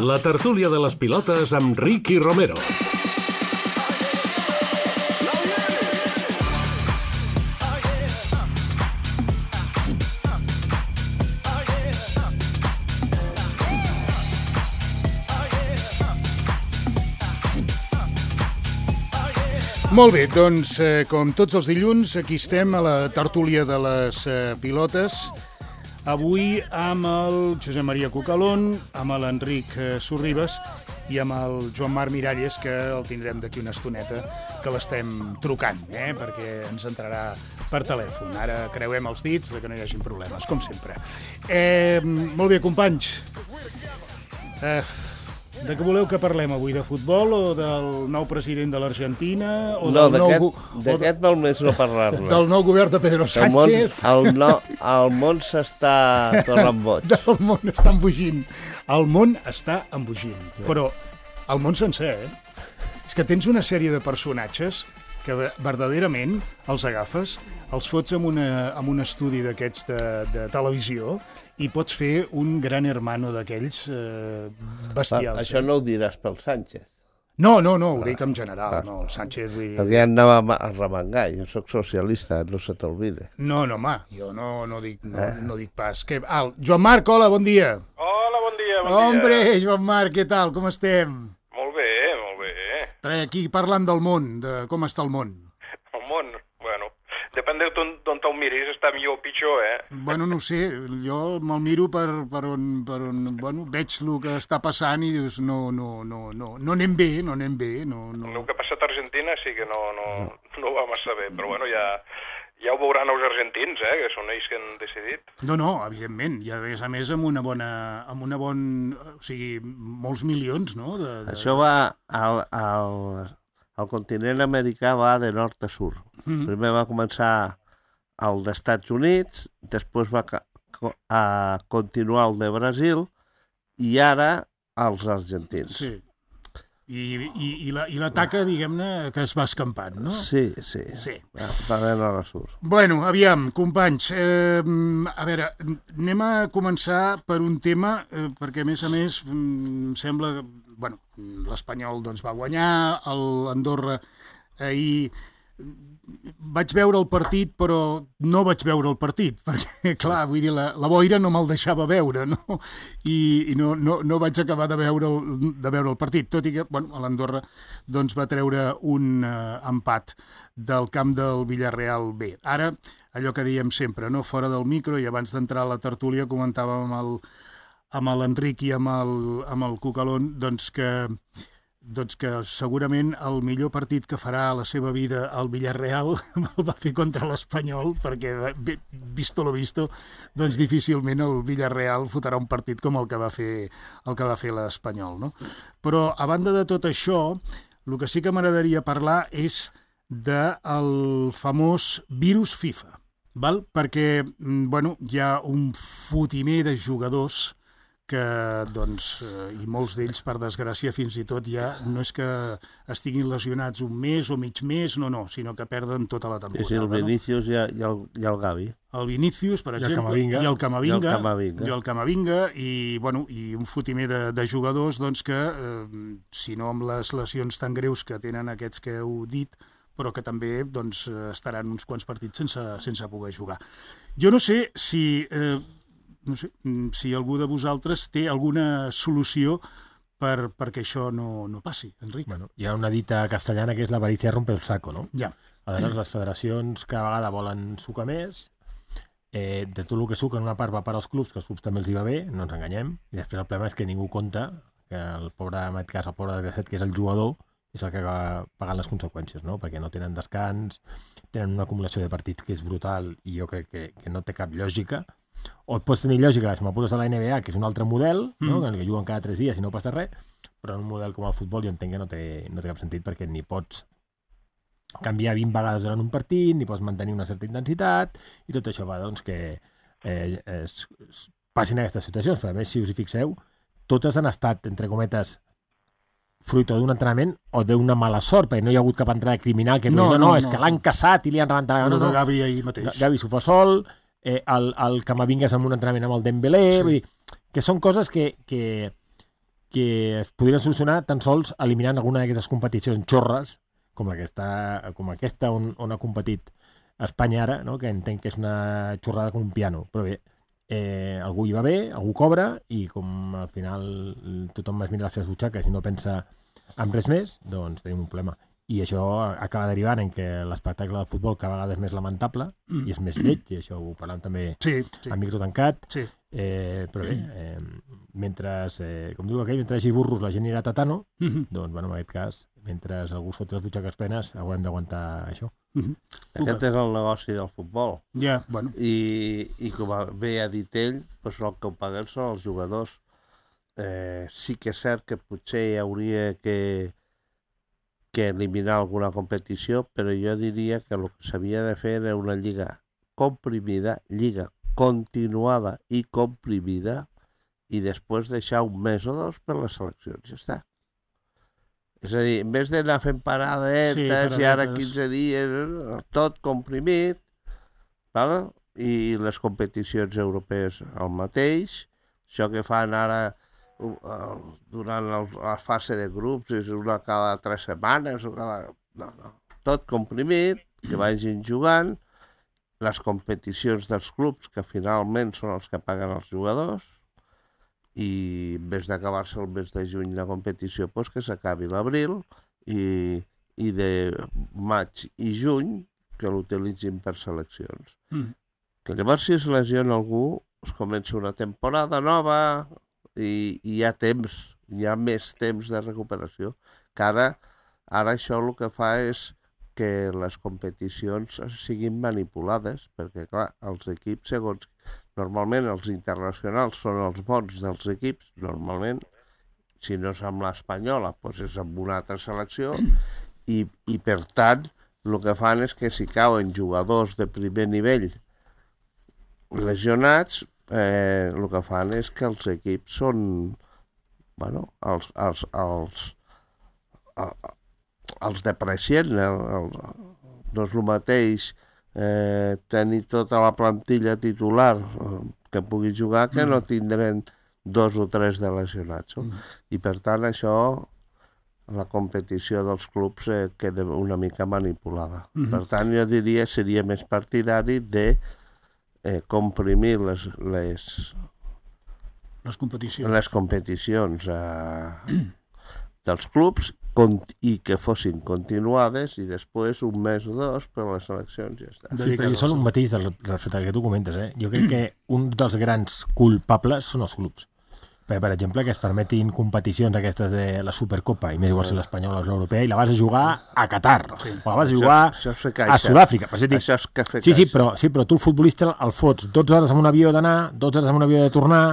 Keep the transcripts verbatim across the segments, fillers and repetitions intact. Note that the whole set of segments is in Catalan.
La tertúlia de les pilotes amb Ricky Romero. Molt bé, doncs, eh, com tots els dilluns, aquí estem a la tertúlia de les eh, pilotes. Avui amb el Josep Maria Cucalón, amb l'Enric eh, Sorribes i amb el Joan Marc Miralles, que el tindrem d'aquí una estoneta, que l'estem trucant, eh, perquè ens entrarà per telèfon. Ara creuem els dits que no hi hagin problemes, com sempre. Eh, molt bé, companys. Eh... De què voleu que parlem avui? De futbol o del nou president de l'Argentina? O no, del nou, d'aquest val més no parlar-ne. Del nou govern de Pedro Sánchez? El món, el no, el món s'està tornant boig. El món està embogint. El món està embogint. Però el món sencer, eh? És que tens una sèrie de personatges que verdaderament els agafes, els fots en, una, en un estudi d'aquests de, de televisió i pots fer un gran hermano d'aquells eh, bestials. Va, això eh? no ho diràs pel Sánchez. No, no, no, ho dic en general. Ah. No, el Sánchez... Vull... Perquè ja anava a remengar, jo soc socialista, no se t'olvide. No, no, home, jo no, no, dic, no, eh? no dic pas. Que... Ah, Joan Marc, hola, bon dia. Hola, bon dia, bon Hombre, dia. Hombre, Joan Marc, què tal, com estem? Molt bé, molt bé. Res, aquí parlant del món, de com està el món. El món, bueno, depèn d'on te'l miris, està millor o pitjor, eh? Bueno, no ho sé, jo me'l miro per, per, on, per on, bueno, veig el que està passant i dius, no, no, no, no, no anem bé, no anem bé, no, no... El que ha passat a Argentina sí que no, no, no va massa bé, però bueno, ja... Ja ho veuran els argentins, eh, que són ells que han decidit. No, no, evidentment, i a més a més amb una bona, amb una bon, o sigui, molts milions, no? De, de... Això va al, al, al continent americà, va de nord a sud. Mm-hmm. Primer va començar el dels Estats Units, després va a continuar el de Brasil i ara els argentins. Sí. I, i, i, la, i la taca, diguem-ne, que es va escampant, no? Sí, sí. sí. Va, va bé a la surt. Bueno, aviam, companys, eh, a veure, anem a començar per un tema, eh, perquè a més a més em sembla que, bueno, l'Espanyol doncs va guanyar, l'Andorra ahir... Vaig veure el partit, però no vaig veure el partit, perquè, clar, vull dir, la, la boira no me'l deixava veure, no? I, i no, no, no vaig acabar de veure, el, de veure el partit, tot i que, bueno, l'Andorra doncs, va treure un uh, empat del camp del Villarreal B. Ara, allò que dèiem sempre, no? Fora del micro, i abans d'entrar a la tertúlia comentàvem amb el, amb l'Enric i amb el, amb el Cucalón, doncs que... doncs que segurament el millor partit que farà a la seva vida el Villarreal el va fer contra l'Espanyol, perquè, visto lo visto, doncs difícilment el Villarreal fotrà un partit com el que va fer el que va fer l'Espanyol, no? Però, a banda de tot això, el que sí que m'agradaria parlar és del famós virus FIFA, val? Perquè, bueno, hi ha un fotimer de jugadors que, doncs, i molts d'ells, per desgràcia, fins i tot ja no és que estiguin lesionats un mes o mig mes, no, no, sinó que perden tota la temporada. Sí, sí, el Vinícius no? i, el, i, el, i el Gavi. El Vinícius, per I exemple, el i el Camavinga, i el Camavinga, i, el Camavinga, i, bueno, i un fotimer de, de jugadors doncs, que, eh, si no amb les lesions tan greus que tenen aquests que heu dit, però que també doncs, estaran uns quants partits sense, sense poder jugar. Jo no sé si... Eh, no sé, si algú de vosaltres té alguna solució per, perquè això no, no passi, Enric. Bueno, hi ha una dita castellana que és l'avaricia rompe el saco, no? Ja. Aleshores, les federacions cada vegada volen sucar més, eh, de tot el que suquen una part va per als clubs, que als clubs també els hi va bé, no ens enganyem, i després el problema és que ningú compta que el pobre, en aquest cas, el pobre desgraciat, que és el jugador, és el que acaba pagant les conseqüències, no? Perquè no tenen descans, tenen una acumulació de partits que és brutal i jo crec que, que no té cap lògica. O et pots tenir lògica, si m'apures a la N B A, que és un altre model, no? Mm. que juguen cada tres dies i no passa res, però en un model com el futbol jo entenc que no té, no té cap sentit perquè ni pots canviar vint vegades durant un partit, ni pots mantenir una certa intensitat, i tot això va doncs, que eh, es, es passin aquestes situacions. Però a més, si us hi fixeu, totes han estat, entre cometes, fruit d'un entrenament o d'una mala sort, perquè no hi ha hagut cap entrada criminal que no, no, no, no, és no, que l'han caçat i li han rebentat. No, no, de Gavi ahir mateix. Gavi s'ho fa sol, eh, el, el Camavinga és amb un entrenament amb el Dembélé, sí. Vull dir, que són coses que, que que es podrien solucionar tan sols eliminant alguna d'aquestes competicions xorres, com, la que està, com aquesta on, on ha competit Espanya ara, no? Que entenc que és una xorrada com un piano. Però bé, eh, algú hi va bé, algú cobra, i com al final tothom es mira les seves butxaques i no pensa en res més, doncs tenim un problema. I això acaba derivant en que l'espectacle de futbol cada vegada és més lamentable mm. i és més lleig, i això ho parlem també sí, sí. a micro tancat. Sí. Eh, però bé, eh, mentre, eh, com diu aquell, mentre hi hagi burros la gent irà a tatano, mm-hmm. doncs, bueno, en aquest cas, mentre algú es fot les butxaques plenes, haurem d'aguantar això. Mm-hmm. Aquest és el negoci del futbol. Ja, yeah, bueno. I, i com bé ha dit ell, doncs el que ho paguen són els jugadors. Eh, sí que és cert que potser hi hauria que que eliminar alguna competició, però jo diria que el que s'havia de fer era una lliga comprimida, lliga continuada i comprimida, i després deixar un mes o dos per les seleccions, ja està. És a dir, en vez d'anar fent paradetes, sí, paradetes. I ara quinze dies, tot comprimit, val? I les competicions europees el mateix, això que fan ara durant el, la fase de grups és una cada tres setmanes o cada... No, no. Tot comprimit, que vagin jugant, les competicions dels clubs, que finalment són els que paguen els jugadors, i en vez d'acabar-se el mes de juny la competició, doncs que s'acabi l'abril, i, i de maig i juny que l'utilitzin per seleccions. Mm. Que llavors, si es lesiona algú, es comença una temporada nova, i hi ha temps, hi ha més temps de recuperació, que ara, ara això el que fa és que les competicions siguin manipulades, perquè clar, els equips, segons, normalment els internacionals són els bons dels equips, normalment, si no és amb l'espanyola, doncs és amb una altra selecció, i, i per tant, el que fan és que si cauen jugadors de primer nivell lesionats, Eh, el que fan és que els equips són, bueno, els, els, els, els, els deprecien. El, el, no és el mateix eh, tenir tota la plantilla titular que pugui jugar que no tindran dos o tres de lesionats. No? I per tant això, la competició dels clubs eh, queda una mica manipulada. Mm-hmm. Per tant, jo diria seria més partidari de Eh, comprimir les, les, les competicions, les competicions eh, dels clubs i que fossin continuades i després un mes o dos per les eleccions i ja està. Sí, però jo són un matís respecte al que tu comentes. Eh? Jo crec que un dels grans culpables són els clubs. Per, per exemple, que es permetin competicions aquestes de la Supercopa, i més igual si l'Espanyol o l'Europea, i la vas a jugar a Qatar, sí. o la vas a jugar això, això a Sud-àfrica. Per això dic, això és cafè sí, sí, però, sí, però tu el futbolista el fots dotze hores amb un avió d'anar, dotze hores amb un avió de tornar,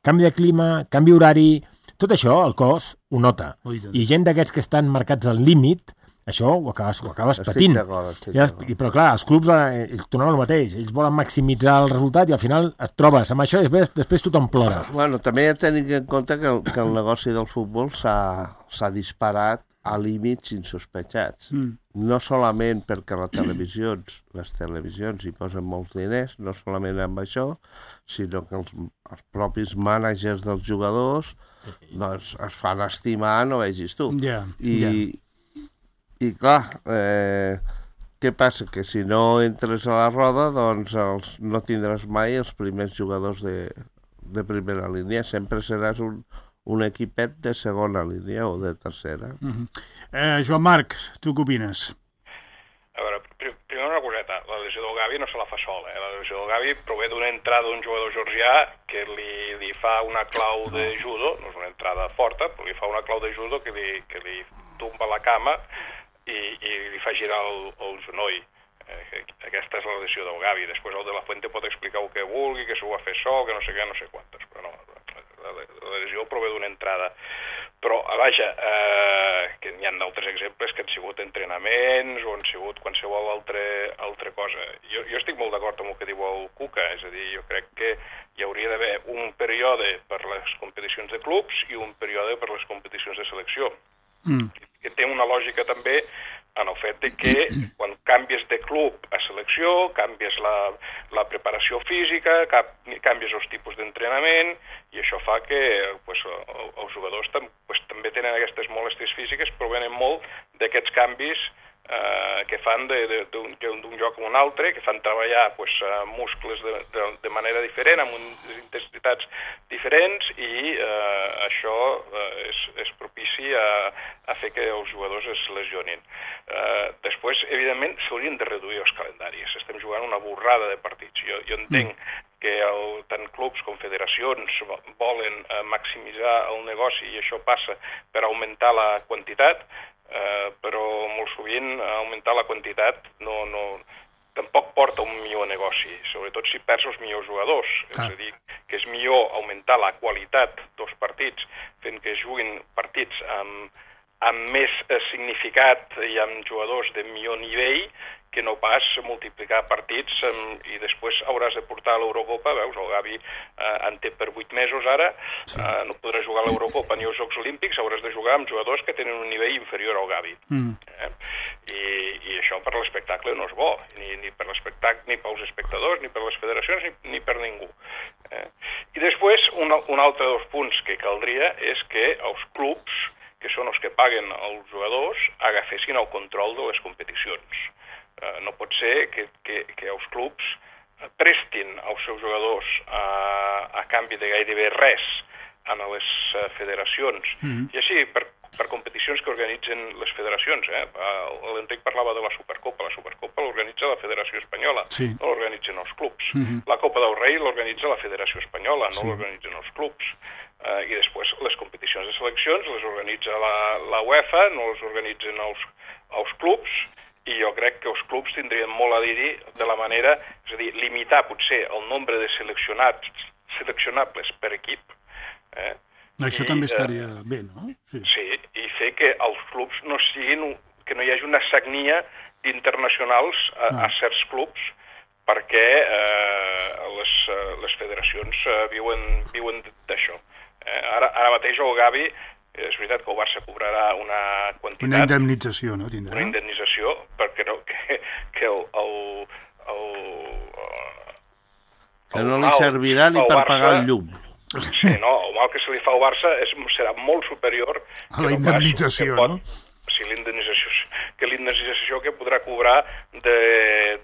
canvi de clima, canvi horari, tot això el cos ho nota. Ui, I gent d'aquests que estan marcats al límit, això ho acabes, ho acabes patint. I, però clar, els clubs eh, ells tornen el mateix, ells volen maximitzar el resultat i al final et trobes amb això i després, després tothom plora. Bueno, també he de tenir en compte que el, que el negoci del futbol s'ha disparat a límits insospechats. Mm. No solament perquè les televisions, les televisions hi posen molts diners, no solament amb això, sinó que els, els propis mànagers dels jugadors doncs, es fan estimar, no vegis tu. Yeah, I, yeah. I clar, eh, què passa? Que si no entres a la roda, doncs els, no tindràs mai els primers jugadors de, de primera línia. Sempre seràs un, un equipet de segona línia o de tercera. Uh-huh. eh, Joan Marc, tu què opines? A veure, primer una coseta. La lesió del Gavi no se la fa sola. Eh? La lesió del Gavi prové d'una entrada d'un jugador georgià que li, li fa una clau de judo, no és una entrada forta, però li fa una clau de judo que li, que li tomba la cama i, i li fa girar el, el genoll. Eh, aquesta és la lesió del Gavi. Després el de la Fuente pot explicar el que vulgui, que s'ho va fer sol, que no sé què, no sé quantes, però no, la, la, la lesió prové d'una entrada. Però, vaja, eh, que hi ha d'altres exemples que han sigut entrenaments o han sigut qualsevol altre, altra cosa. Jo, jo estic molt d'acord amb el que diu el Cuca, és a dir, jo crec que hi hauria d'haver un període per les competicions de clubs i un període per les competicions de selecció. Mm. Que té una lògica també en el fet de que quan canvies de club a selecció, canvies la, la preparació física, canvies els tipus d'entrenament, i això fa que pues, els jugadors tam, pues, també tenen aquestes molèsties físiques, provenen molt d'aquests canvis eh, que fan d'un lloc a un altre, que fan treballar pues, muscles de, de, de manera diferent, amb unes intensitats diferents, i eh, això eh, és, és propici a, a fer que els jugadors es lesionin. Eh, després, evidentment, s'haurien de reduir els calendaris. Estem jugant una borrada de partits. Jo, jo entenc mm. que el, tant clubs com federacions volen eh, maximitzar el negoci, i això passa per augmentar la quantitat, eh, però molt sovint augmentar la quantitat no, no, tampoc porta un millor negoci, sobretot si perds els millors jugadors. Ah. És a dir, que és millor augmentar la qualitat dels partits fent que juguin partits amb, amb més significat i amb jugadors de millor nivell, que no pas multiplicar partits um, i després hauràs de portar a l'Eurocopa. Veus, el Gavi uh, en té per vuit mesos ara, sí. uh, no podràs jugar a l'Eurocopa ni als Jocs Olímpics, hauràs de jugar amb jugadors que tenen un nivell inferior al Gavi. Mm. Eh? I, I això per l'espectacle no és bo, ni, ni per l'espectacle, ni pels espectadors, ni per les federacions, ni, ni per ningú. Eh? I després, un, un altre dels punts que caldria és que els clubs, que són els que paguen els jugadors, agafessin el control de les competicions. Uh, no pot ser que, que, que els clubs prestin als seus jugadors a, a canvi de gairebé res a les uh, federacions. Mm. I així, per, per competicions que organitzen les federacions. Eh? L'Enric parlava de la Supercopa. La Supercopa l'organitza la Federació Espanyola, sí. no l'organitzen els clubs. Mm-hmm. La Copa del Rei l'organitza la Federació Espanyola, no sí. l'organitzen els clubs. Uh, I després les competicions de seleccions les organitza la, la UEFA, no les organitzen els, els clubs, i jo crec que els clubs tindrien molt a dir-hi de la manera, és a dir, limitar potser el nombre de seleccionats, seleccionables per equip. Eh? Això I, també estaria eh, bé, no? Sí. sí, i fer que els clubs no siguin, que no hi hagi una sagnia d'internacionals a, ah. a certs clubs, perquè eh, les, les federacions eh, viuen, viuen d'això. Eh, ara, ara mateix el Gavi, és veritat que el Barça cobrarà una quantitat... Una indemnització, no? Tindrà? Una indemnització, perquè no, que, que el... el, el, que no li servirà ni per Barça, pagar el llum. Sí, no, el mal que se li fa al Barça és, serà molt superior... A la indemnització, no? Pot, sí, l'indemnització, que l'indemnització que podrà cobrar de,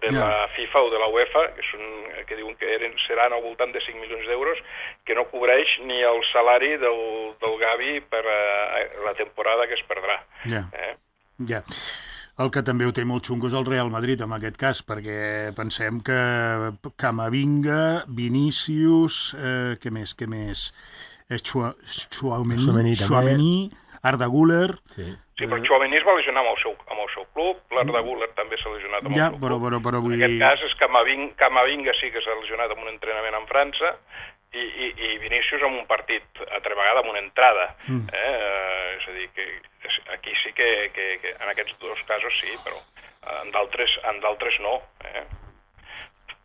de yeah. la FIFA o de la UEFA, que, són, que diuen que eren, seran al voltant de cinc milions d'euros, que no cobreix ni el salari del, del Gavi per uh, la temporada que es perdrà. Ja, eh? ja. El que també ho té molt xungo és el Real Madrid, en aquest cas, perquè pensem que Camavinga, Vinícius, eh, què més, què més? Tchouaméni, Tchouaméni, Arda Güler... Sí. Sí, però Tchouaméni es va lesionar amb el seu, amb el seu club, l'Arda Güler també s'ha lesionat amb ja, el seu però, club. Però, però, vull... En aquest cas és Camavinga, Camavinga sí que s'ha lesionat amb un entrenament en França, i, i, i Vinícius amb un partit, altra vegada amb una entrada. Mm. Eh? Eh, és a dir, que aquí sí que, que, que en aquests dos casos sí, però en d'altres en d'altres no. Eh?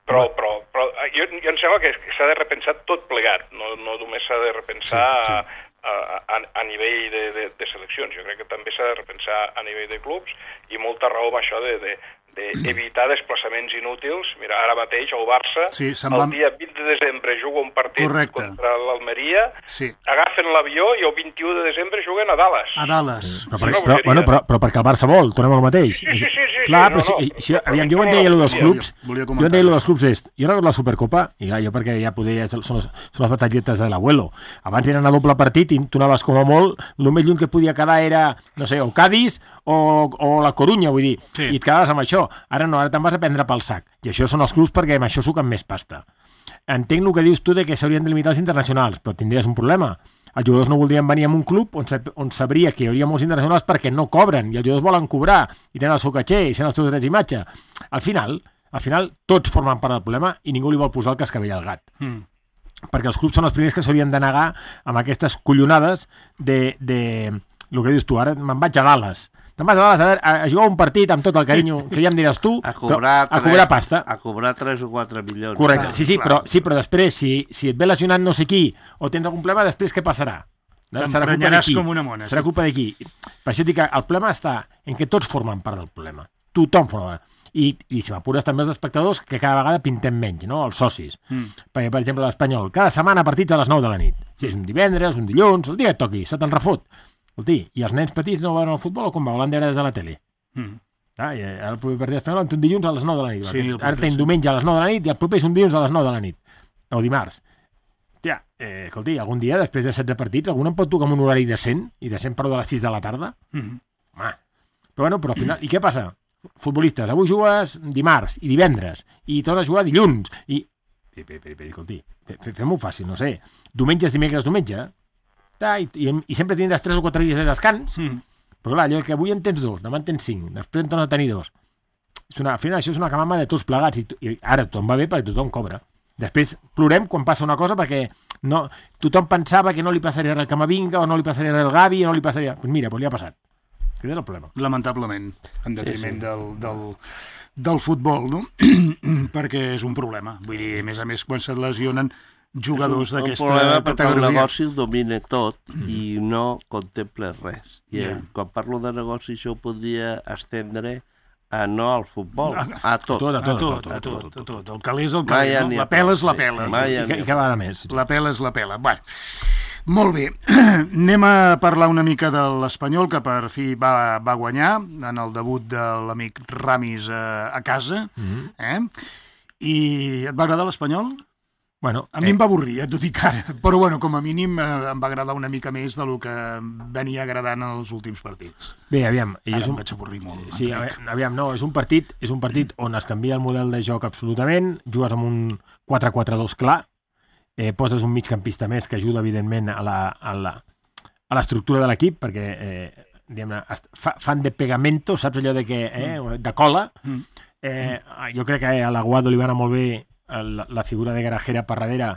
Però, però, però jo, jo em sembla que s'ha de repensar tot plegat, no, no només s'ha de repensar... Sí, sí. A, a, a nivell de, de, de seleccions. Jo crec que també s'ha de repensar a nivell de clubs, i molta raó amb això de, de, d'evitar desplaçaments inútils. Mira, ara mateix el Barça, sí, el va... dia vint de desembre juga un partit Correcte. Contra l'Almeria, sí. agafen l'avió i el vint-i-u de desembre juguen a Dallas. A Dallas. Sí. Però, però, però, bueno, però, però perquè el Barça vol, tornem al mateix. Sí, sí, sí. sí, clar, sí però no, si, no. si, aviam, jo en deia allò dels clubs, jo en deia allò dels clubs és, jo recordo la Supercopa, i clar, jo perquè ja podia, són, les, són les batalletes de l'abuelo. Abans eren a doble partit i tu anaves com a molt, el més lluny que podia quedar era, no sé, o Cádiz o, o la Corunya, vull dir, sí. i et quedaves amb això. Ara no, ara te'n vas a prendre pel sac. I això són els clubs perquè amb això suquen més pasta. Entenc el que dius tu de que s'haurien de limitar els internacionals, però tindries un problema. Els jugadors no voldrien venir a un club on, on sabria que hi hauria molts internacionals perquè no cobren, i els jugadors volen cobrar, i tenen el seu caché, i tenen els seus drets d'imatge. Al final, al final, tots formen part del problema i ningú li vol posar el cascavell al gat. Mm. Perquè els clubs són els primers que s'haurien de negar amb aquestes collonades de, de... el que dius tu, ara me'n vaig a Dallas. Te'n vas a Dallas a, veure, a, a jugar un partit amb tot el carinyo que ja em diràs tu, a cobrar, a cobrar pasta. A cobrar tres o quatre milions. Correcte, sí, sí, però, sí, però després, si, si et ve lesionant no sé qui, o tens algun problema, després què passarà? T'emprenyaràs com una mona. Serà culpa d'aquí. Per això dic que el problema està en què tots formen part del problema. Tothom forma part. I, i si m'apures també els espectadors, que cada vegada pintem menys, no? Els socis. Mm. Perquè, per exemple, l'Espanyol, cada setmana partits a les nou de la nit. Si és un divendres, un dilluns, el dia que toqui, se te'n refot. Escolti, i els nens petits no veuen el futbol o com veuen veure des de la tele? Mm. Ah, i ara el proper partit espanyol en té un dilluns a les nou de la nit. Sí, ara té un diumenge a les nou de la nit i el proper és un dilluns a les nou de la nit. O dimarts. Tia, eh, escolti, algun dia, després de setze partits, algun em pot tocar amb un horari decent, i decent però de les sis de la tarda? Mm. Home. Però bueno, però al final... I què passa? Futbolistes, avui jugues dimarts i divendres, i tornes a jugar dilluns, i... Escolti, fem-ho fàcil, no sé. Diumenges, dimecres, diumenge, i, i, i sempre tindràs tres o quatre dies de descans, mm. però clar, allò que avui en tens dos, demà en tens cinc, després en tornes a tenir dos. És una, al final això és una camama de tots plegats, i, i ara tothom va bé perquè tothom cobra. Després plorem quan passa una cosa perquè no, tothom pensava que no li passaria res al Camavinga, o no li passaria res al Gavi, o no li passaria... Doncs pues mira, pues li ha passat. Aquest és el problema. Lamentablement, en detriment sí, sí. Del, del, del futbol, no? Perquè és un problema. Vull dir, a més a més, quan se't lesionen jugadors d'aquesta categoria... És un problema perquè el negoci ho domina tot mm. i no contempla res. I yeah. quan parlo de negoci això ho podria estendre a no al futbol, a tot. A tot, a tot, a tot. A tot, a tot. El calé és el calé, no? La pela és la pela. I cada vegada més. La pela és la pela. Bueno... Molt bé, anem a parlar una mica de l'Espanyol, que per fi va, va guanyar en el debut de l'amic Ramis a, a casa. Mm-hmm. eh? I et va agradar l'Espanyol? Bueno, a mi eh... em va avorrir, et ho dic ara, però bueno, com a mínim eh, em va agradar una mica més del que venia agradant en els últims partits. Bé, aviam... Ara és un... em vaig avorrir molt. Sí, aviam, no, és un partit és un partit on es canvia el model de joc absolutament, jugues amb un quatre quatre dos clar, Eh, poses un migcampista més que ajuda, evidentment, a la, a la, a l'estructura de l'equip, perquè eh, diguem-ne, fa, fan de pegamento, saps allò de, que, eh, de cola. Eh, jo crec que a l'Aguado li va anar molt bé la, la figura de Garajera per darrere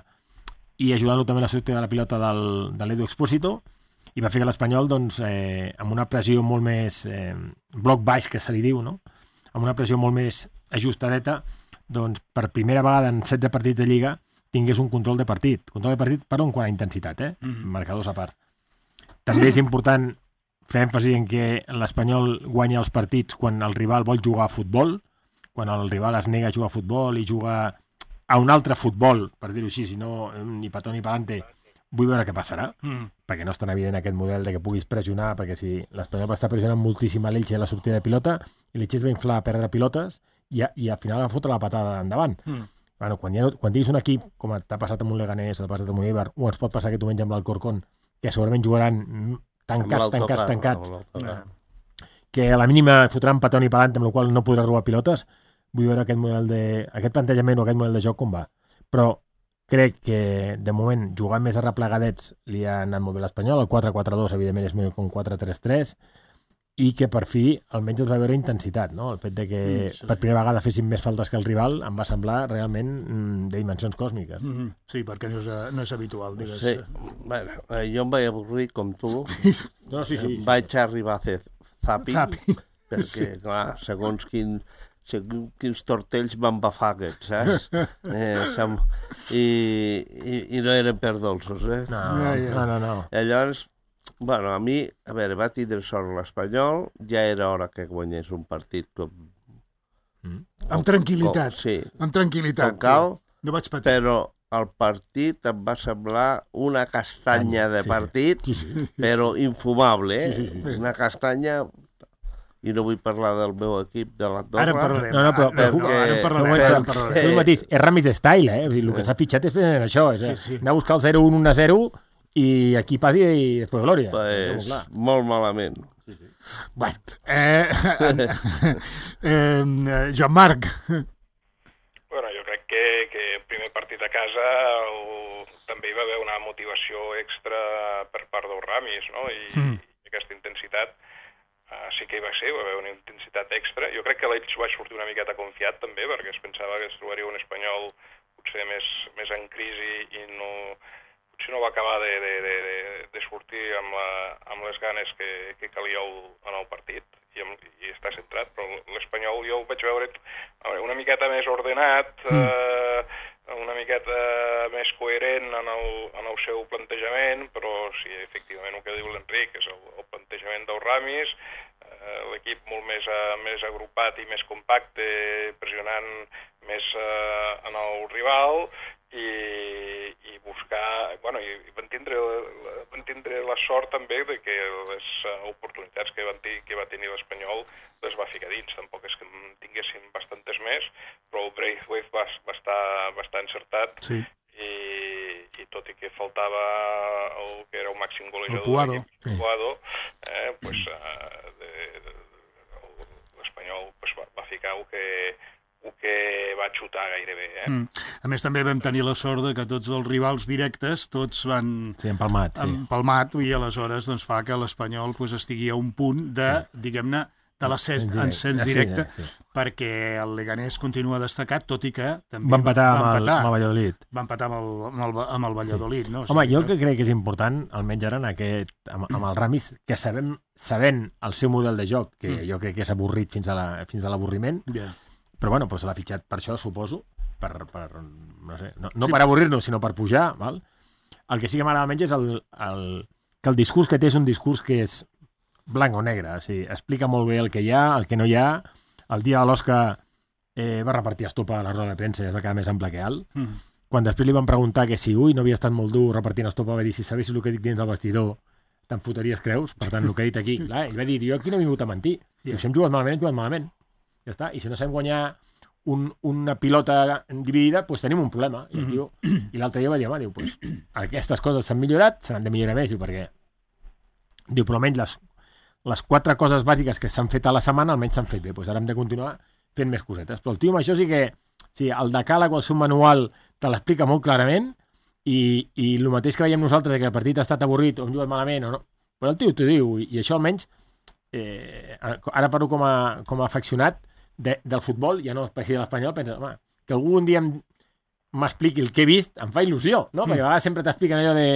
i ajudant-lo també a la sortida de la pilota del, de l'Edu Expósito, i va fer que l'Espanyol, doncs, eh, amb una pressió molt més eh, bloc baix, que se li diu, no? Amb una pressió molt més ajustadeta, doncs, per primera vegada en setze partits de Lliga, tingués un control de partit. Control de partit per on quant a intensitat, eh? Mm-hmm. Marcadors a part. També és important fer èmfasi en que l'Espanyol guanya els partits quan el rival vol jugar a futbol, quan el rival es nega a jugar a futbol i juga a un altre futbol, per dir-ho així, si no, ni petó ni pelante, vull veure què passarà, mm. perquè no és tan evident aquest model de que puguis pressionar, perquè si l'Espanyol va estar pressionant moltíssim a l'Elche a la sortida de pilota, i l'Elche es va inflar a perdre pilotes, i, a, i al final va fotre la patada endavant. Mm. Bueno, quan, ha, quan diguis un equip, com t'ha passat amb un Leganés, t'ha passat amb un Eibar, o ens pot passar aquest diumenge amb l'Alcorcón, que segurament jugaran tancats, tancats, tancats, que a la mínima fotran petó ni pelant, amb la qual no podrà robar pilotes, vull veure aquest model de, aquest plantejament o aquest model de joc com va. Però crec que, de moment, jugant més arreplegadets li ha anat molt bé l'Espanyol, el quatre quatre dos, evidentment, és millor que un quatre tres tres, i que per fi almenys es va veure intensitat, no? El fet de que mm, sí, per primera vegada fessin més faltes que el rival em va semblar realment mm, de dimensions còsmiques. Mm-hmm. Sí, perquè no és, no és habitual, digues. Sí. Bueno, jo em vaig avorrir com tu. No, sí, sí. Vaig arribar a fer zapping, zapping. perquè, sí. clar, segons quin, segons quins tortells van bafar aquests, saps? eh, sem... I, i, I no eren per dolços, eh? No, ja, ja. no, no, no. I llavors, bueno, a mi, a veure, va tindre sort l'Espanyol, ja era hora que guanyés un partit com... Mm. Amb tranquil·litat, com, sí, amb tranquil·litat. Com cal, no vaig patir. Però el partit em va semblar una castanya de partit, sí, sí, però infumable, eh? Sí, sí, sí. Una castanya... I no vull parlar del meu equip de l'Andorra. Ara parlarem. No, no, però, perquè... no, ara parlarem. Però, ara parlarem. Tu mateix, és Ramis style, eh? El que s'ha fitxat és fer això, és sí, sí. anar a buscar el zero un, un a zero i aquí padi i després glòria. Pues, molt malament. Sí, sí. Bueno, eh, eh, Joan Marc. Bueno, jo crec que, que el primer partit a casa el, també hi va haver una motivació extra per part del Ramis, no? I, mm. i aquesta intensitat Uh, sí que hi va ser, va haver una intensitat extra. Jo crec que l'Elx va sortir una miqueta confiat també, perquè es pensava que es trobaria un espanyol potser més, més en crisi i no, potser no va acabar de, de, de, de sortir amb, la, amb les ganes que, que calia el, en el partit i, amb, i està centrat, però l'espanyol jo ho vaig veure una miqueta més ordenat, mm. uh, una miqueta més coherent en el, en el seu plantejament, però sí, efectivament, el que diu l'Enric és el, el plantejament del Ramis, eh, l'equip molt més, uh, més agrupat i més compacte, pressionant més uh, en el rival, i, i buscar, bueno, i van tindre, van tindre la sort també de que les oportunitats que, van que va tenir l'Espanyol les va ficar dins, tampoc és que en tinguessin bastantes més, però el Braithwaite va, va, estar, va estar encertat, sí. i, i tot i que faltava el que era el màxim golejador, el Puado, el Puado eh, pues, uh, de, de, l'Espanyol pues, va, va ficar el que el que va xutar gairebé. Eh? Mm. A més, també vam tenir la sort de que tots els rivals directes, tots van... Sí, empalmat. Sí. Empalmat, i aleshores doncs, fa que l'Espanyol pues, estigui a un punt de, sí. diguem-ne, de l'ascens directe, directe sí, sí. perquè el Leganés continua destacat, tot i que també va empatar, va amb, empatar el, amb el Valladolid. Va empatar amb el, amb el, amb el Valladolid. Sí. No? O Home, sigui, jo el que crec que és important, almenys ara en aquest, amb, amb el Ramis, que sabem, sabent el seu model de joc, que mm. jo crec que és avorrit fins a la, fins a l'avorriment, yeah. però bueno, doncs l'ha fitxat per això, suposo, per, per no sé, no, no sí. per avorrir-nos, sinó per pujar, val? El que sí que m'agrada menys és el, el, que el discurs que té és un discurs que és blanc o negre, o sigui, explica molt bé el que hi ha, el que no hi ha. El dia de l'Oscar eh, va repartir estopa a la roda de premsa i es va quedar més ample que alt. Mm. Quan després li van preguntar que si, ui, no havia estat molt dur repartint estopa, va dir, si sabessis el que dic dins del vestidor, te'n fotries creus? Per tant, el que he dit aquí, clar, ell va dir, jo aquí no he vingut a mentir. Yeah. Si hem jugat malament, hem jugat malament. Ja està. I si no sabem guanyar un, una pilota dividida, doncs tenim un problema. I, el tio, i l'altre dia va dir, home, diu, pues, aquestes coses s'han millorat, se n'han de millorar més, diu, perquè diu, però almenys les, les quatre coses bàsiques que s'han fet a la setmana almenys s'han fet bé, doncs ara hem de continuar fent més cosetes. Però el tio amb això sí que, sí, el decàleg o el seu manual te l'explica molt clarament, i, i el mateix que veiem nosaltres, que el partit ha estat avorrit o hem jugat malament o no, però el tio t'ho diu, i, i això almenys, eh, ara parlo com a, com a afeccionat de, del futbol, ja no per si de l'Espanyol, penses, home, que algun dia m'expliqui el que he vist, em fa il·lusió, no? Mm. Perquè a vegades sempre t'expliquen allò de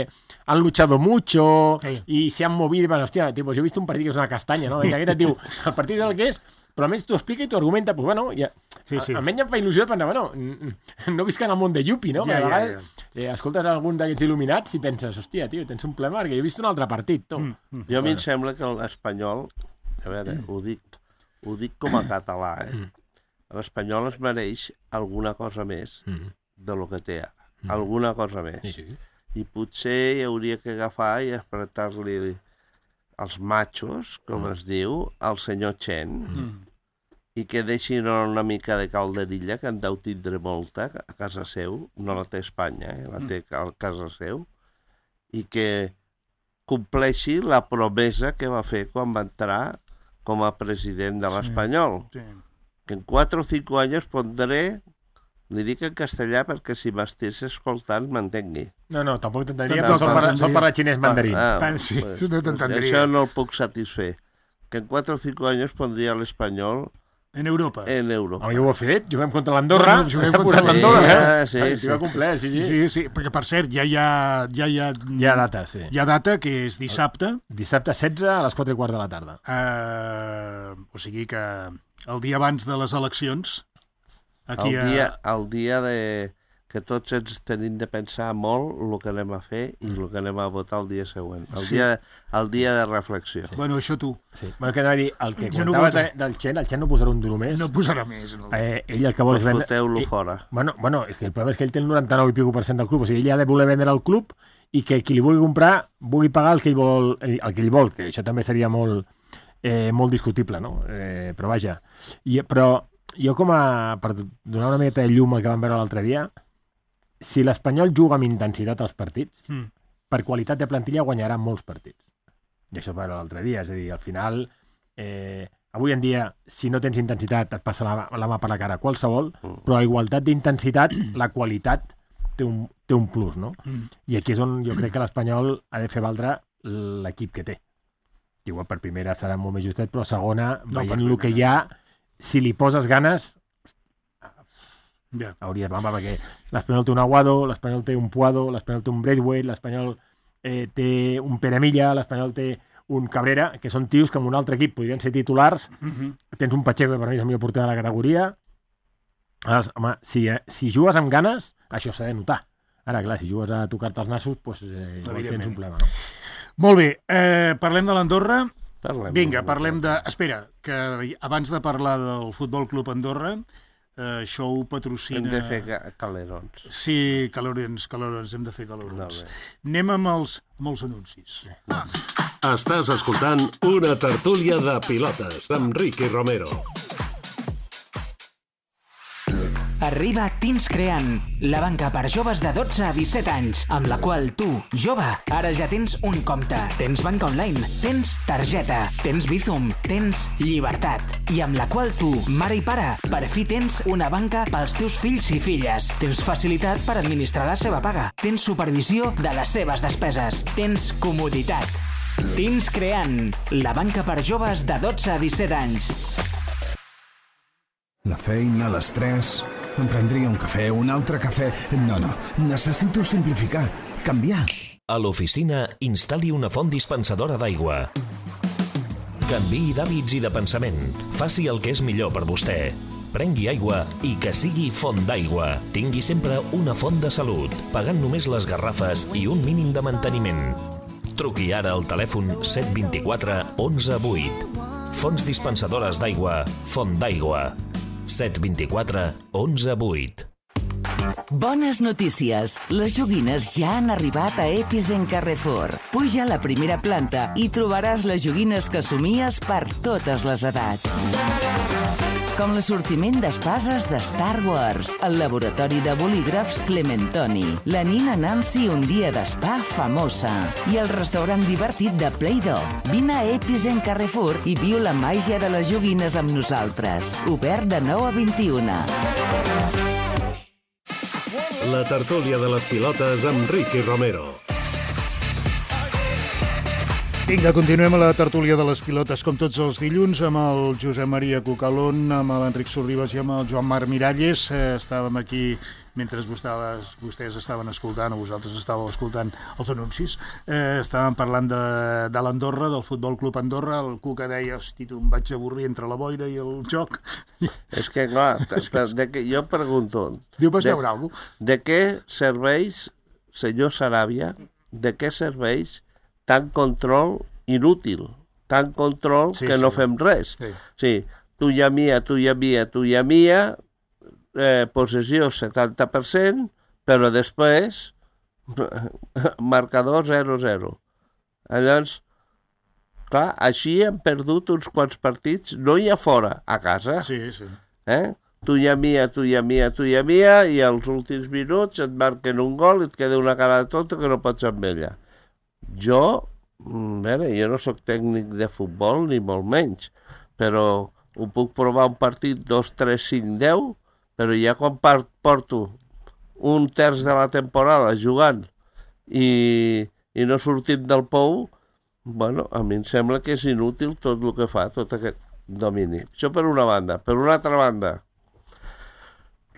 han luchado mucho sí. i se han movido, i bueno, hòstia, tipo, jo he vist un partit que és una castanya, no? I aquest et diu, el partit és el que és, però almenys t'ho explica i t'ho argumenta, doncs bueno, ja, sí, sí. almenys em fa il·lusió de pensar, bueno, no visc en el món de Yupi, no? Ja, ja, ja. Eh, escoltes algun d'aquests il·luminats i penses, hòstia, tio, tens un problema perquè jo he vist un altre partit, tu. Mm. Mm. Jo a mi em sembla que l'Espanyol, a veure, ho dic, ho dic com a català, eh? L'Espanyol es mereix alguna cosa més de lo que té ara. Mm. Alguna cosa més. Sí, sí. I potser hi hauria que agafar i apretar-li els machos, com mm. es diu, al senyor Chen, mm. i que deixin una mica de calderilla, que en deu tindre molta a casa seu, no la té Espanya, eh? La té a casa seu, i que compleixi la promesa que va fer quan va entrar com a president de l'Espanyol. Sí, sí. Que en quatre o cinco anys pondré, li dic en castellà perquè si m'estés escoltant m'entengui. No, no, tampoc t'entendria, però sol parlar, sol parlar xinès mandarín. Ah, ah, sí, pues, no t'entendria. Això no el puc satisfer. Que en quatre o cinco anys pondria l'Espanyol en Europa. En Europa. Oh, jo ho he fet, juguem contra l'Andorra. Bueno, juguem contra l'Andorra. Sí, eh? sí, sí. Sí, va complet, sí, sí. Sí, sí, perquè per cert, ja hi ha... Ja hi ha, hi ha data, sí. Hi ha data, que és dissabte. Dissabte setze a les quatre i quart de la tarda. Uh, o sigui que el dia abans de les eleccions... Aquí el, dia, a... el dia de... que tots ens tenim de pensar molt el que anem a fer i el que anem a votar el dia següent. El, sí. dia, el dia de reflexió. Sí. Bueno, això tu. Sí. Bueno, que anava a dir, el que comentaves no del Chen, el Chen no posarà un duro més. No posarà més. No. Eh, ell el que vol és vendre... Foteu-lo fora. Bueno, bueno, és que el problema és que ell té el noranta-nou i pico per cent del club, o sigui, ell ha de voler vendre el club i que qui li vulgui comprar vulgui pagar el que ell vol, el que ell vol, que això també seria molt, eh, molt discutible, no? Eh, però vaja. I, però jo com a... per donar una miqueta de llum al que vam veure l'altre dia, si l'Espanyol juga amb intensitat als partits, mm. per qualitat de plantilla guanyarà molts partits. I això va l'altre dia, és a dir, al final, eh, avui en dia, si no tens intensitat, et passa la, la mà per la cara qualsevol, mm. però a igualtat d'intensitat, la qualitat té un, té un plus, no? Mm. I aquí és on jo crec que l'Espanyol ha de fer valdre l'equip que té. Igual per primera serà molt més justet, però segona, no, veient el que hi ha, si li poses ganes... Yeah. Hauria de perquè l'Espanyol té un Aguado, l'Espanyol té un Puado, l'Espanyol té un Braithwaite, l'Espanyol eh, té un Peremilla, l'Espanyol té un Cabrera, que són tios que en un altre equip podrien ser titulars. Mm-hmm. Tens un Pacheco, que per mi és el millor porter de la categoria, Aleshores, home, si, eh, si jugues amb ganes, això s'ha de notar. Ara, clar, si jugues a tocar-te els nassos, doncs eh, tens un problema, no? Molt bé, eh, parlem de l'Andorra. Parlem Vinga, parlem de... Espera, que abans de parlar del Futbol Club Andorra, eh, això ho patrocina... Hem de fer ca calerons. Sí, calorons, calorons, hem de fer calorons. Anem amb els, amb els anuncis. Estàs escoltant una tertúlia de pilotes amb Ricky Romero. Arriba Teens Creant, la banca per joves de dotze a disset anys, amb la qual tu, jove, ara ja tens un compte. Tens banca online, tens targeta, tens Bizum, tens llibertat. I amb la qual tu, mare i pare, per fi tens una banca pels teus fills i filles. Tens facilitat per administrar la seva paga. Tens supervisió de les seves despeses. Tens comoditat. Teens Creant, la banca per joves de dotze a disset anys. La feina, l'estrès... Em prendria un cafè, un altre cafè... No, no, necessito simplificar, canviar. A l'oficina, instal·li una font dispensadora d'aigua. Canviï d'hàbits i de pensament. Faci el que és millor per vostè. Prengui aigua i que sigui font d'aigua. Tingui sempre una font de salut, pagant només les garrafes i un mínim de manteniment. Truqui ara al telèfon set dos quatre onze vuit. Fonts dispensadores d'aigua, Font d'Aigua. set dos quatre onze vuit. Bones notícies! Les joguines ja han arribat a Episen Carrefour. Puja a la primera planta i trobaràs les joguines que somies per totes les edats. Com l'assortiment d'espases de Star Wars, el laboratori de bolígrafs Clementoni, la nina Nancy un dia d'espa famosa i el restaurant divertit de Play-Doh. Vine a Episen Carrefour i viu la màgia de les joguines amb nosaltres. Obert de nou a vint-i-una. La tertúlia de les pilotes amb Ricky Romero. Vinga, continuem a la tertúlia de les pilotes com tots els dilluns amb el Josep Maria Cucalón, amb l'Enric Sorribas i amb el Joan Marc Miralles. Eh, estàvem aquí mentre vostès, vostès estaven escoltant, o vosaltres estàveu escoltant els anuncis. Eh, estàvem parlant de, de l'Andorra, del Futbol Club Andorra. El Cuca deia, hosti, tu em vaig avorrir entre la boira i el joc. És que, clar, de que jo pregunto... Diu, vas de, veure alguna cosa? De què serveix, senyor Saràbia, de què serveix tant control inútil, tant control sí, que sí. no fem res. Sí. sí, tuya mia, tuya mia, tuya mia, eh, possessió setanta per cent, però després marcador zero zero. Llavors, clar, així hem perdut uns quants partits, no hi ha fora, a casa. Sí, sí. Eh? Tuya mia, tuya mia, tuya mia, i als últims minuts et marquen un gol i et queda una cara de tonta que no pots amb ella. Jo, a veure, jo no sóc tècnic de futbol, ni molt menys, però ho puc provar un partit dos, tres, cinc, deu, però ja quan porto un terç de la temporada jugant i, i no sortim del pou, bueno, a mi em sembla que és inútil tot el que fa, tot aquest domini. Això per una banda. Per una altra banda,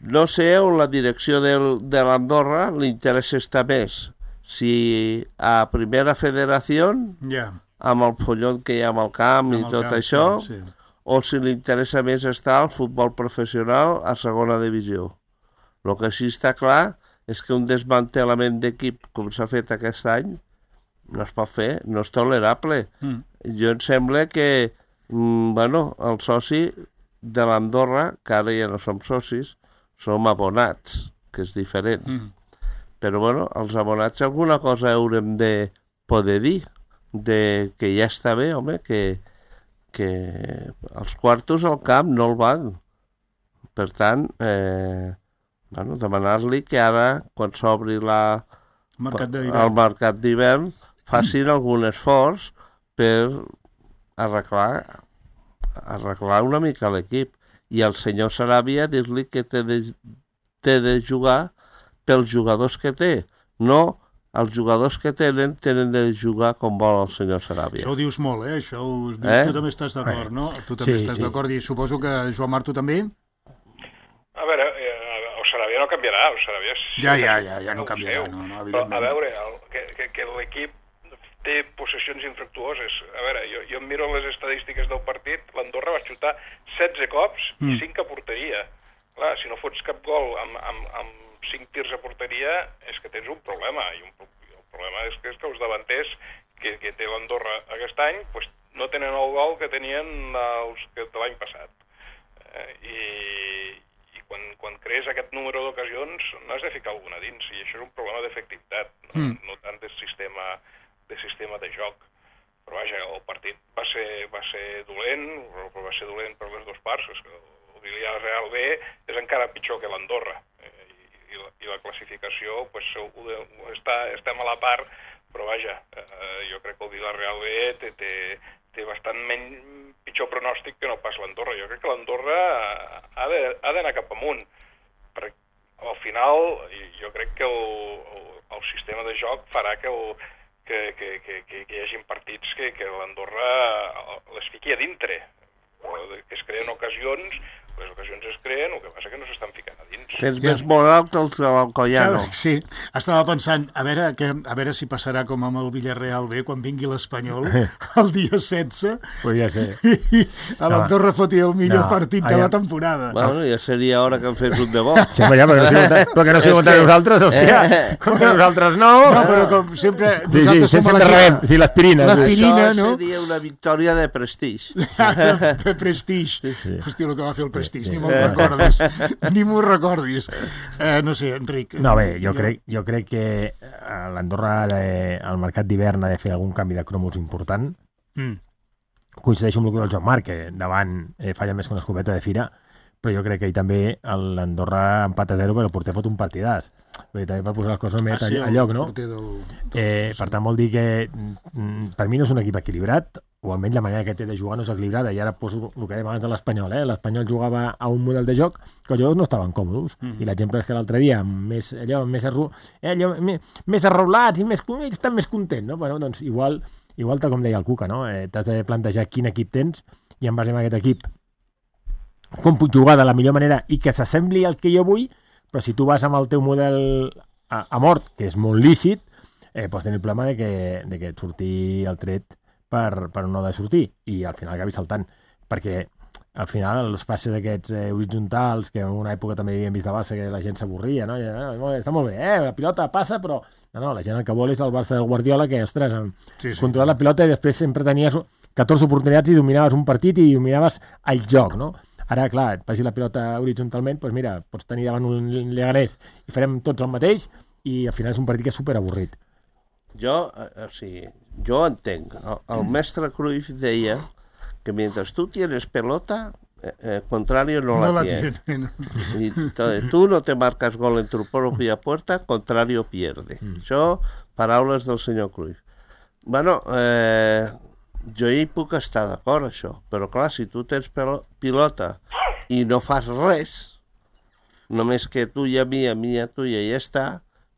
no sé on la direcció del, de l'Andorra li interessa estar més. Si a Primera Federació, yeah. amb el follon que hi ha amb el camp amb i tot camp, això, sí. o si li interessa més estar al futbol professional a segona divisió. El que sí està clar és que un desmantelament d'equip com s'ha fet aquest any no es pot fer, no és tolerable. Mm. Jo em sembla que mm, bueno, el soci de l'Andorra, que ara ja no som socis, som abonats, que és diferent. Mm. Però, bueno, els abonats alguna cosa haurem de poder dir, de que ja està bé, home, que, que els quartos al camp no el van. Per tant, eh, bueno, demanar-li que ara, quan s'obri la, el mercat d'hivern, facin algun esforç per arreglar, arreglar una mica l'equip. I al senyor Saràbia dir-li que té de, té de jugar pels jugadors que té. No, els jugadors que tenen tenen de jugar com vol el senyor Saràbia. Això ho dius molt, eh? Això ho dius, eh? Tu també estàs d'acord, no? Tu també sí, estàs sí. d'acord i suposo que Joan Marc, tu també? A veure, eh, el Saràbia no canviarà, el Saràbia... Ja, ja, ja, ja no canviarà, no, no, evidentment. Però, a veure, el, que, que, que l'equip té possessions infructuoses. A veure, jo, jo em miro les estadístiques del partit, l'Andorra va xutar setze cops mm. i cinc a porteria. clar, si no fots cap gol amb, amb, amb cinc tirs a porteria, és que tens un problema, i un, el problema és que, és que els davanters que, que té l'Andorra aquest any pues, no tenen el gol que tenien els que de l'any passat. Eh, I, i quan, quan crees aquest número d'ocasions n'has de ficar alguna dins, i això és un problema d'efectivitat, no, mm. no tant de sistema, de sistema de joc. Però vaja, el partit va ser, va ser dolent, però va ser dolent per les dues parts, és que el Villarreal B és encara pitjor que l'Andorra, eh, i, i, la, i la classificació pues, està, estem a la part, però vaja, eh, jo crec que el Villarreal B té, té, té bastant menys, pitjor pronòstic que no pas l'Andorra. Jo crec que l'Andorra ha d'anar cap amunt, perquè al final jo crec que el, el, el sistema de joc farà que el Que, que, que, que hi hagi partits que, que l'Andorra les fiqui a dintre, que es creen ocasions, les ocasions es creen, el que passa que no s'estan ficant a dins. Tens més moral que els de l'Alcoyano. Sí, estava pensant, a veure, que, a veure si passarà com amb el Villarreal B, quan vingui l'Espanyol, el dia setze, podria ser. I a l'Andorra fotia el millor no, partit de la temporada. Bueno, ja seria hora que en fes un de bo. Sí, ja, però, no sigui, però que no sigui contra nosaltres, hòstia. Contra nosaltres no. No, però com sempre... Sí, sí, sense de rebem. Sí, l'aspirina. L'aspirina, no? no? Seria una victòria de prestigi. De prestigi. Sí. Hòstia, el que va fer el prestigi, ni m'ho recordis. Ni m'ho recordis. Eh, no sé, Enric. No, bé, jo, jo... crec, jo crec que l'Andorra, al mercat d'hivern, ha de fer algun canvi de cromos important. Mm. Coincideixo amb el que diu el Joan Marc, que davant eh, falla més que una escopeta de fira, però jo crec que ell també l'Andorra empat a zero, però el porter fot un partidàs. Bé, també per posar les coses més ah, sí, a lloc, no? Del, del... Eh, per tant, vol dir que per mi no és un equip equilibrat, o almenys la manera que té de jugar no és equilibrada, i ara poso el que dèiem abans de l'Espanyol, eh? L'Espanyol jugava a un model de joc que els jugadors no estaven còmodes, mm -hmm. i l'exemple és que l'altre dia, més, allò, més, arru... eh, allò, més, més arreulats i més, estan més contents, no? Bueno, doncs igual, igual tal com deia el Cuca, no? Eh, t'has de plantejar quin equip tens, i en base a aquest equip com puc jugar de la millor manera i que s'assembli al que jo vull, però si tu vas amb el teu model a, a mort, que és molt lícit, eh, pots tenir el problema de que, de que et surti el tret per, per no de sortir, i al final acabi saltant, perquè al final els passes aquests eh, horitzontals, que en una època també havíem vist a Barça que la gent s'avorria, no? I, eh, està molt bé, eh? La pilota passa, però no, no, la gent el que vol és el Barça del Guardiola, que, ostres, sí, sí. controlar la pilota i després sempre tenies catorze oportunitats i dominaves un partit i dominaves el joc, no? Ara, clar, et passi la pilota horitzontalment, doncs mira, pots tenir davant un Leganés i farem tots el mateix, i al final és un partit que és superavorrit. Jo, o sigui, jo entenc. El, el mestre Cruyff deia que mentre tu tienes pelota, eh, eh, contrario no, no la, la tiene. tiene. Y tú no te marcas gol en tu propia puerta, contrario pierde. Mm. Això, paraules del senyor Cruyff. Bueno, eh, jo hi puc estar d'acord, això, però clar, si tu tens pilota i no fas res, només que tu i a mi, a mi i a tu i ja està,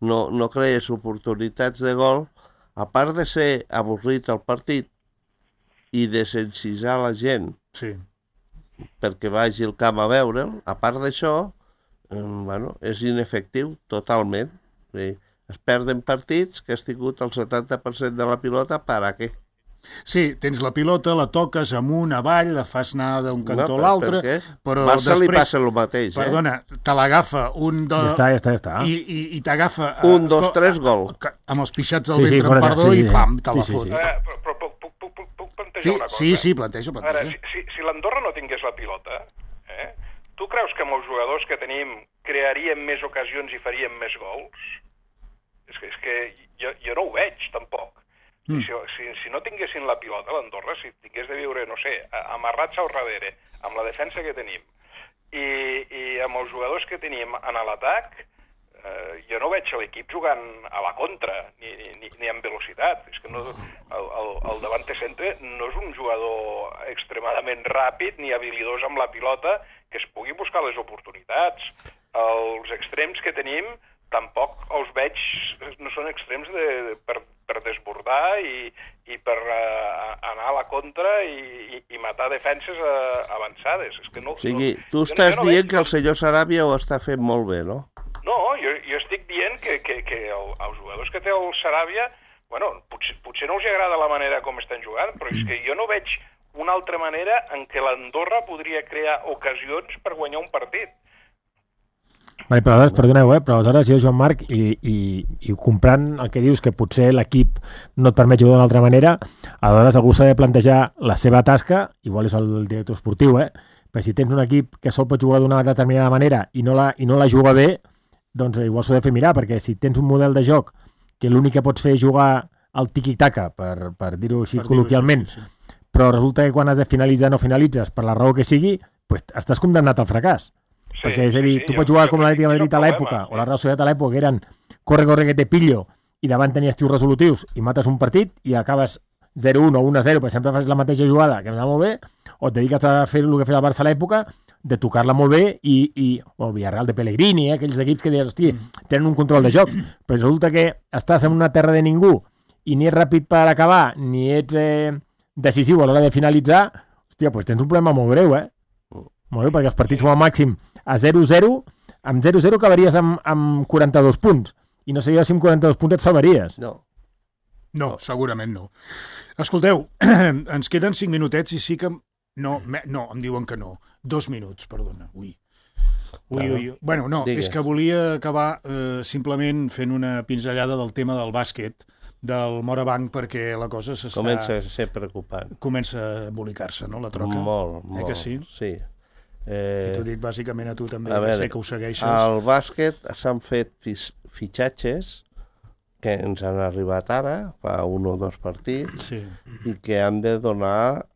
no, no crees oportunitats de gol, a part de ser avorrit el partit i de sensibilitzar la gent sí. perquè vagi al camp a veure'l, a part d'això, eh, bueno, és inefectiu totalment. Sí. Es perden partits que has tingut el setanta per cent de la pilota, per a què? Sí, tens la pilota, la toques amunt, avall, la fas anar d'un cantó no, a l'altre, però Barça després... li passa el mateix, eh? Perdona, te l'agafa un de... Ja està, ja està, ja està. I, i, i t'agafa... Un, dos, tres, gol. Amb els pixats al sí, ventre, sí, en perdó, sí, i pam, te la sí, fot. Sí, sí. Eh, però, però puc, puc, puc, puc plantejar sí, una cosa? Sí, sí, plantejo, plantejo. Ara, si, si, si l'Andorra no tingués la pilota, eh, tu creus que amb els jugadors que tenim crearíem més ocasions i faríem més gols? És que, és que jo, jo no ho veig, tampoc. Mm. Si, si, si no tinguessin la pilota, l'Andorra, si tingués de viure, no sé, amarrats al darrere, amb la defensa que tenim, i, i amb els jugadors que tenim en l'atac, eh, jo no veig l'equip jugant a la contra, ni, ni, ni amb velocitat. És que no, el, el, el davante centre no és un jugador extremadament ràpid ni habilidós amb la pilota que es pugui buscar les oportunitats. Els extrems que tenim tampoc els veig, no són extrems de, de, per, per desbordar i, i per uh, anar a la contra i, i, i matar defenses uh, avançades. És que no, o sigui, no, tu estàs no dient veig... que el senyor Sarabia ho està fent molt bé, no? No, jo, jo estic dient que, que, que el, els jugadors que té el Sarabia, bueno, potser, potser no els agrada la manera com estan jugant, però és que jo no veig una altra manera en què l'Andorra podria crear ocasions per guanyar un partit. Vale, però aleshores, perdoneu, eh? però aleshores jo, Joan Marc, i, i, i comprant el que dius, que potser l'equip no et permet jugar d'una altra manera, aleshores algú s'ha de plantejar la seva tasca, igual és el director esportiu, eh? Però si tens un equip que sol pot jugar d'una determinada manera i no la, i no la juga bé, doncs igual s'ho ha de fer mirar, perquè si tens un model de joc que l'únic que pots fer és jugar al tiqui-taca, per, per dir-ho així per col·loquialment, dir-ho, sí, sí. Però resulta que quan has de finalitzar no finalitzes, per la raó que sigui, pues estàs condemnat al fracàs. Sí, perquè és a dir, sí, tu pots jugar com l'Atlètic de Madrid a l'època, o la Real Societat a l'època, que eren corre, corre, que te pillo, i davant tenies tios resolutius, i mates un partit, i acabes zero un o un a zero, per exemple fas la mateixa jugada, que em va molt bé, o et dediques a fer el que feia el Barça a l'època, de tocar-la molt bé, i, i o el Villarreal de Pellegrini, eh, aquells equips que dius, hosti, tenen un control de joc, però resulta que estàs en una terra de ningú, i ni ets ràpid per acabar, ni ets eh, decisiu a l'hora de finalitzar, hòstia, doncs tens un problema molt greu, eh? Molt greu, perquè els partits com a màxim a zero zero, amb zero zero acabaries amb, amb quaranta-dos punts, i no sabia si amb quaranta-dos punts et salvaries. No. No, segurament no. Escolteu, ens queden cinc minutets i sí que... No, me... no, em diuen que no. Dos minuts, perdona. Ui. Ui, ui, ui. Bueno, no, Digues. És que volia acabar eh, simplement fent una pinzellada del tema del bàsquet, del Morabanc, perquè la cosa s'està... Comença a ser preocupant. Comença a embolicar-se, no, la troca? Molt, eh molt. Que sí? Sí. Eh... I t'ho dic bàsicament a tu també, a que veure, sé que ho segueixes. Al bàsquet s'han fet fitxatges que ens han arribat ara, fa un o dos partits, sí. I que han de donar,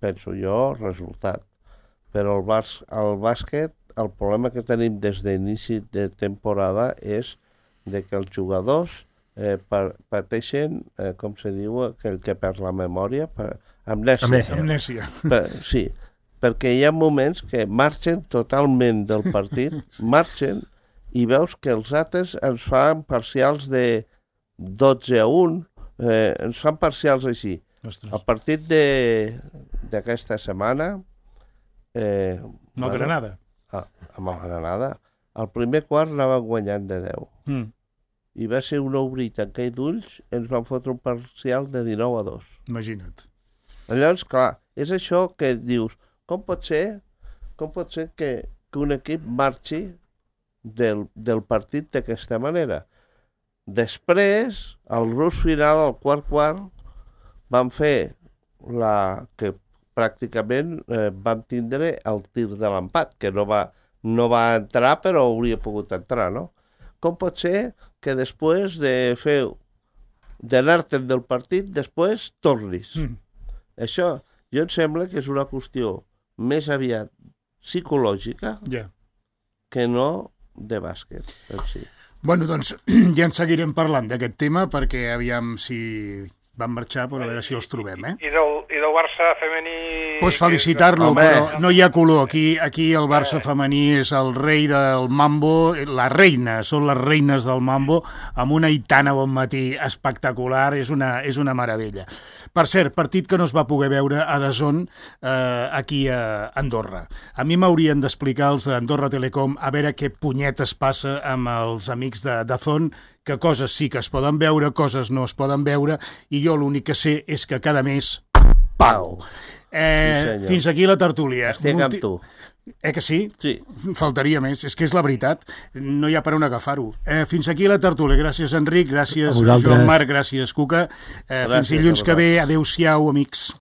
penso jo, resultat. Però el, bas el bàsquet, el problema que tenim des d'inici de temporada és de que els jugadors eh, pateixen, eh, com se diu, aquell que perd la memòria, per, amnèsia. Amnèsia. Amnèsia. Per, sí, perquè hi ha moments que marxen totalment del partit, marxen, i veus que els altres ens fan parcials de dotze a un, eh, ens fan parcials així. Ostres. El partit d'aquesta setmana... Eh, amb el Granada. Ah, amb el Granada. El primer quart anava guanyant de deu. Mm. I va ser un obrir i tancar d'ulls, ens van fotre un parcial de dinou a dos. Imagina't. Llavors, clar, és això que dius, com pot ser, com pot ser que, que un equip marxi del, del partit d'aquesta manera? Després, al rus final, al quart quart, van fer la que pràcticament eh, vam tindre el tir de l'empat, que no va, no va entrar, però hauria pogut entrar, no? Com pot ser que després de fer d'anar-te'n del partit, després tornis? Mm. Això, jo em sembla que és una qüestió més aviat psicològica yeah. que no de bàsquet en si. Bueno, doncs ja en seguirem parlant d'aquest tema, perquè aviam si van marxar, però a veure si els trobem, eh? I del, i del Barça femení... Pues felicitar-lo, però no hi ha color. Aquí, aquí el Barça femení és el rei del mambo, la reina, són les reines del mambo, amb una Aitana Bonmatí espectacular, és una, és una meravella. Per cert, partit que no es va poder veure a D A Z N eh, aquí a Andorra. A mi m'haurien d'explicar els d'Andorra Telecom a veure què punyetes passa amb els amics de D A Z N, que coses sí que es poden veure, coses no es poden veure, i jo l'únic que sé és que cada mes pago. Eh, sí, fins aquí la tertúlia. Estic amb tu. Eh que sí? Sí. Faltaria més. És que és la veritat. No hi ha per on agafar-ho. Eh, fins aquí la tertúlia. Gràcies, Enric. Gràcies, Joan Marc. Gràcies, Cuca. Eh, gràcies, fins dilluns que ve. Adéu-siau, amics.